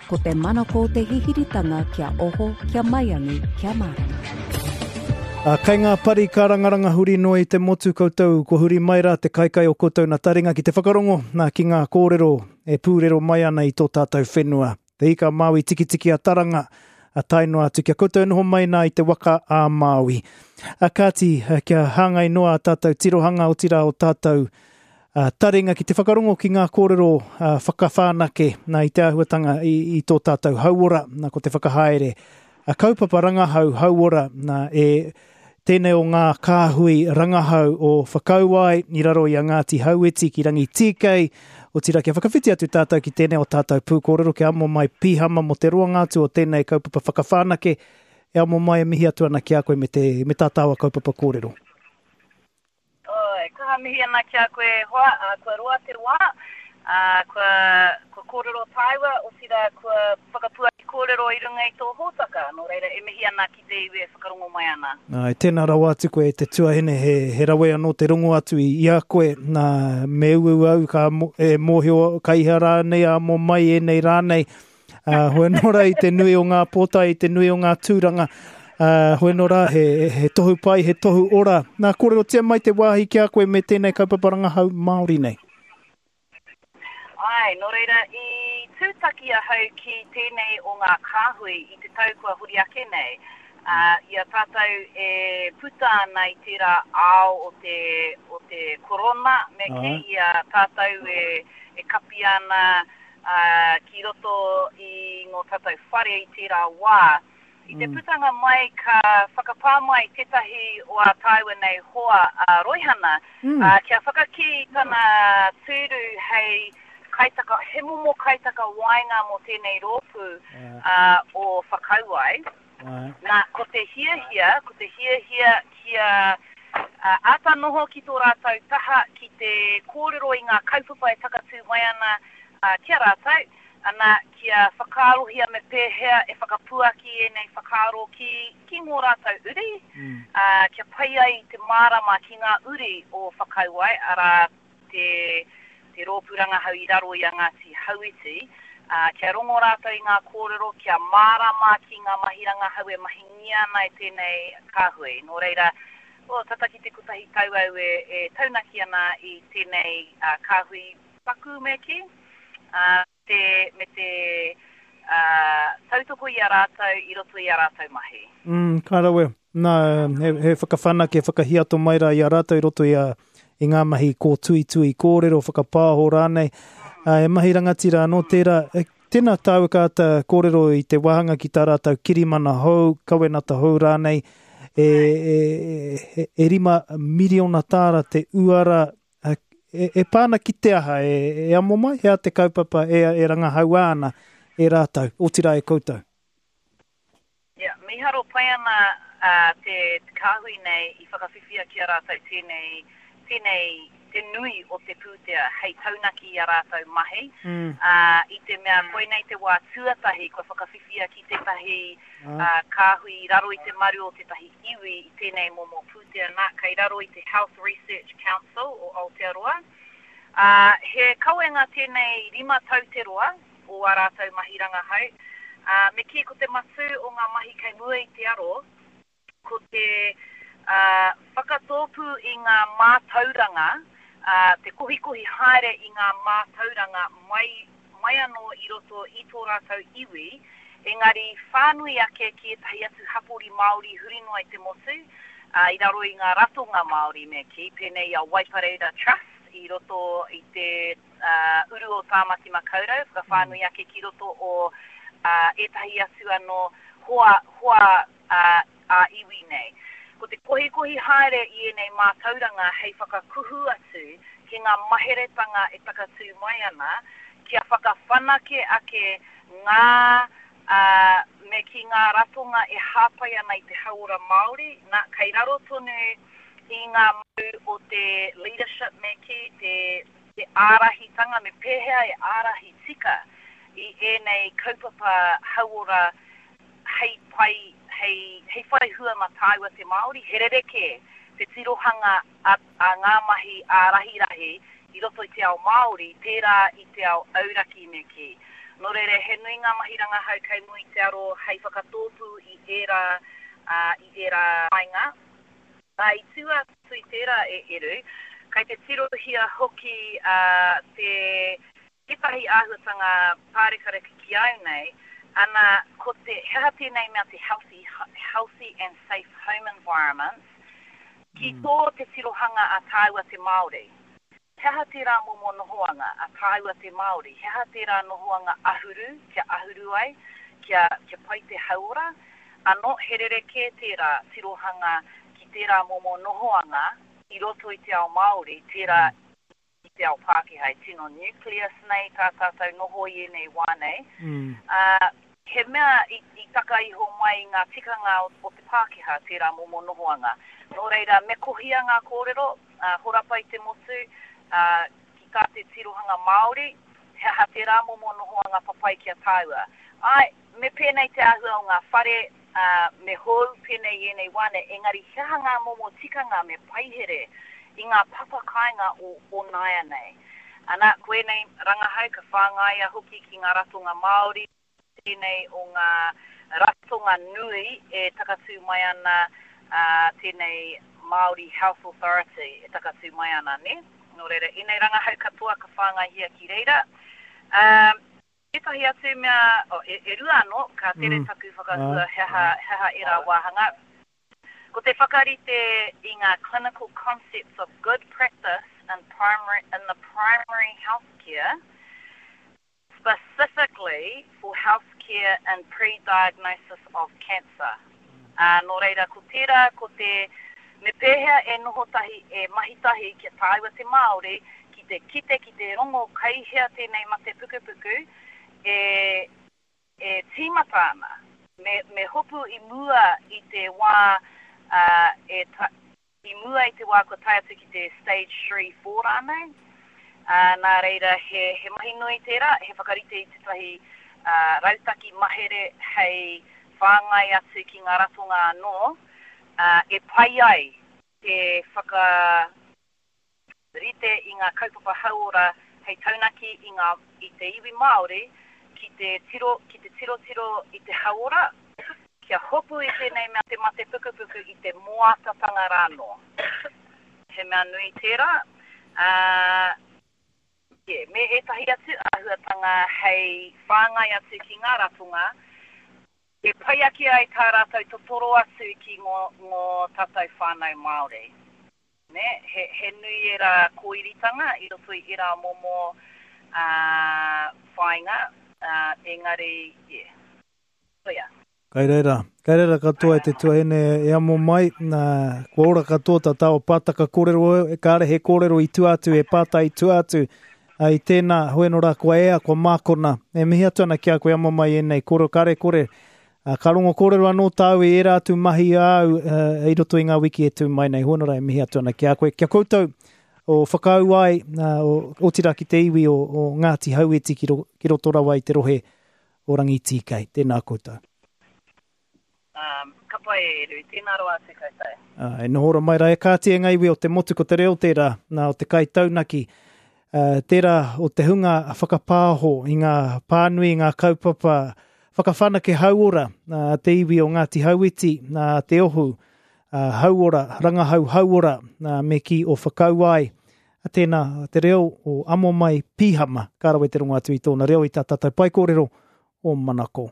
Ko te manako o te hihiritanga kia oho, kia maiangi, kia mārama. Ā, kei ngā pari kārangaranga huri noa i te motu koutou, kua huri mai rā te kaikai o koutou nā taringa ki te whakarongo, nā, ki ngā kōrero e pūrero mai ana i tō tātou whenua. Te Ika a Māui Tikitiki a Taranga, a tae noa atu kia koutou e noho mai nā i te waka a Māui. A kāti, kia hāngai noa a tātou tirohanga, otirā o tātou taringa ki te whakarongo ki ngā kōrero whakawhanake nā i te āhuatanga i, i tō tātou hauora, nā ko te whakahaere a kaupapa rangahau hauora nā e tēnei o ngā kāhui rangahau o Whakauae i raro i a Ngāti Hauiti ki Rangitīkei, otirā kia whakawhiti atu tātou ki tēnei o tātou pūkōrero kia amo mai pīhama mō te roanga atu o tēnei kaupapa whakawhanake e amo mai e mihi atu ana ki a koe me te me tā tāua kaupapa kōrero. Oi, kaha mihi ana ki a koe e hoa, ā, kua roa te wā, ā, kua, kua kōrero tāua, otirā kua whakapuaki kōrero i runga i tō hōtaka, nō reira e mihi ana ki te iwi e whakarongo mai ana. Āe, tēnā rawa atu koe e te tuahine, he, he rawe anō te rongo atu i, i a koe, nā, me uaua au ka, e mōhio, ka iha rānei, ā, mō mai ēnei rā nei, Ā, hoi anō rā i te nui o ngā pōtae, i te nui o ngā tūranga, ā, hoi anō rā he, he tohu pai, he tohu ora. Nā, kōrerotia mai te wāhi ki a koe me tēnei kaupapa rangahau Māori nei. Āe, nō reira, i tūtaki ahau ki tēnei o ngā kāhui i te tau kua huri ake nei, ā, i a tātou e puta ana i tērā ao o te, o te korona, me kī, i a tātou e, e kapi ana, ā, ki roto i ngō tātou whare i tērā wā. I te putanga mai ka whakapā mai tētahi o ā tāua nei hoa a Roihana, ā, kia whakakī i tana tūru hei kaitaka, he momo kaitakawaenga mō tēnei rōpū, ā, o Whakauae. Nā, ko te hiahia, ko te hiahia kia āta noho ki tō rātou taha ki te kōrero i ngā kaupapa e takatū mai ana ki a rātou, ana, kia whakaarohia me pēhea e whakapuaki ēnei whakaaro ki, ki ngō rātou uri, ā, kia pai ai te mārama ki ngā uri o Whakauae, arā, te, te rōpū rangahau i raro i a Ngāti Hauiti, ā, kia rongo rātou i ngā kōrero, kia mārama ki ngā mahi rangahau e mahingia ana e tēnei kāhui. Nō reira, oh, tata ki te kotahi tau au e, e taunaki ana i tēnei kāhui paku me kī, ā, te, me te ā, tautoko i a rātou i roto i ā rātou mahi. Mm, ka rawe. Nā, he, he whakawhanake, whakahiato mai rā i a rātou i roto i, a, i ngā mahi kōtuitui kōrero, whakapāho rānei. Ā, he mahi rangatira anō tērā. E, tēnā tāua ka āta kōrero i te wāhanga ki tā rātou kirimana hou, kawenata hou rānei, e, e, e, e rima miriona tāra te uara E, e pā ana ki te aha, e, e amo mai, he aha te kaupapa e, e rangahaua ana e rātou, otirā e koutou? Yeah, mīharo pai ana uh, te, te kāhui nei i whakawhiwhia ki a rātou tēnei, tēnei te nui o te pūtea hei taunaki i a rātou mahi, mm. uh, i te mea koinei te wā tuatahi kua whakawhiwhia ki tētahi uh, kāhui i raro i te maru o tētahi iwi i tēnei momo pūtea nā, kei raro i te Health Research Council o Aotearoa. Ā, he kawenga tēnei rima tau te roa o ā rātou mahi rangahau, ā, me kī ko te matū o ngā mahi kei mua i te aro, ko te, ā, whakatōpū i ngā mātauranga, ā, te kohikohi haere i ngā mātauranga mai mai anō i roto i tō rātou iwi, engari whānui ake ki ētahi atu hapori Māori huri noa i te motu, ā, i raro i ngā ratonga Māori me kī, pēnei i a Waipareira Trust i roto i te uru o Tāmaki Makaurau, whakawhānui ake ki roto o ētahi atu anō hoa, hoa ā-iwi nei. Ko te kohikohi haere i ēnei mātauranga hei whakakuhu atu ki ngā maheretanga e takatū mai ana, kia whakawhanake ake ngā, ā, me kī ngā ratonga e hāpai ana i te hauora Māori, nā, kei raro tonu i ngā mau o te leadership me kī, te, te ārahitanga, me pēhea e ārahi tika i ēnei kaupapa hauora hei pai, hei, hei whai hua mā tāua te Māori, he rerekē te tirohanga a, a ngā mahi ā-rahirahi i roto i te ao Māori, tērā i te ao auraki me kī. Nō reira, he nui ngā mahi rangahau kei mua i te aro hei whakatōpū i ērā, ā, i ērā whāinga. Ā, i tua atu i tērā e Eru, kei te tirohia hoki, ā, te, tētahi āhuatanga pārekareka ki au nei, ana, ko te, he aha tēnei mea te healthy, healthy and safe home environments, ki tō te tirohanga a tāua te Māori. He aha tērā momo nohoanga a tāua te Māori? He aha tērā nohoanga ahuru, kia ahuru ai, kia, kia pai te hauora? Anō, he rerekē tērā tirohanga ki tērā momo nohoanga i roto i te ao Māori, tērā i te ao Pākehā, e tino nucleus nei tā tātou noho i ēnei wā nei. Ā, he mea i, i taka iho mai i ngā tikanga o, o te Pākehā tērā momo nohoanga. Nō reira, me kohia ngā kōrero, ā, horapa i te motu, ā, ki tā te tirohanga Māori, he aha tērā momo nohoanga papai ki a tāua. Āe, me pēnei te āhua o ngā whare, ā, me hou pēnei i ēnei wā nei, engari he aha ngā momo tikanga me paihere i ngā papa kāinga o, o nāianei. Ana, ko ēnei rangahau ka whāngaia hoki ki ngā ratonga Māori, tēnei o ngā ratonga nui e takatū mai ana, ā, tēnei Māori Health Authority e takatū mai ana, nē? Nō reira, ēnei rangahau katoa ka whāngaihia ki reira. Ā, ētahi atu mea, oh, e, e rua anō, ka tere taku whakahua he aha, he aha ērā wāhanga. Ko te whakarite i ngā clinical concepts of good practice in primary, in the primary health care, Specifically for health care in pre-diagnosis of cancer. Ā, nō reira, ko tērā, ko te, me pēhea e noho tahi, e mahi tahi kia tāua te Māori ki te kite, ki te rongo kei hea tēnei mate pukupuku e, e tīmata ana. Me, me hopu i mua i te wā, ā, e ta, I mua i te wā kua tae atu ki te stage three, four rānei, ā, nā reira he, he mahi nui tērā, he whakarite i tētahi rautaki mahere hei whāngai atu ki ngā ratonga anō, ā, e pai ai te whaka. Rite i ngā kaupapa hauora hei taunaki i ngā, i te iwi Māori ki te tiro, ki te tirotiro i te hauora, kia hopu i tēnei mea te mate pukupuku i te moatatanga rānō. He mea nui tērā, ā, yeah, me ētahi atu āhuatanga hei whāngai atu ki ngā ratonga e pai ake ai tā rātou totoro atu ki ngō, ngō tātou whānau Māori. Nē, he, he nui ērā kōiritanga i roto i ērā momo, ā, whāinga, ā, engari, yeah. Koia. Kai reira, kai reira katoa e te tuahine e amo mai, nā, kua ora katoa tā tāua pātaka kōrero, kāre he kōrero i tua atu, he pātai i tua atu, ā, i tēnā, hoi anō rā, kua ea, kua mākona. E mihi atu ana ki a koe amo mai ēnei kōrero, kāre kore, Ā, ka rongo kōrero anō tāu i ērā atu mahi āu i roto i ngā wiki e tū mai nei. Hoi anō rā e mihi atu ana ki a koe, ki a koutou o Whakaū ai, otirā ki te iwi o, o Ngāti Hauiti ki, ro, ki roto rawa i te rohe o Rangitīkei. Tēnā koutou. Um, ka pai e Eru, tēnā rawa atu koutou. Ā, e noho ora mai rā e kāti e ngā iwi o te motu ko te reo tērā, nā o te kaitaunaki, uh, tērā o te hunga whakapāho i ngā pānui, i ngā kaupapa Whakawhanake hauora a te iwi o Ngāti Hauiti, a Te Ohu Hauora, Rangahau Hauora, me kī o Whakauae. Tēnā te reo o Amomai Pīhama, ka rawe te rongo atu i tōna reo i tā tātou paekōrero o Manako.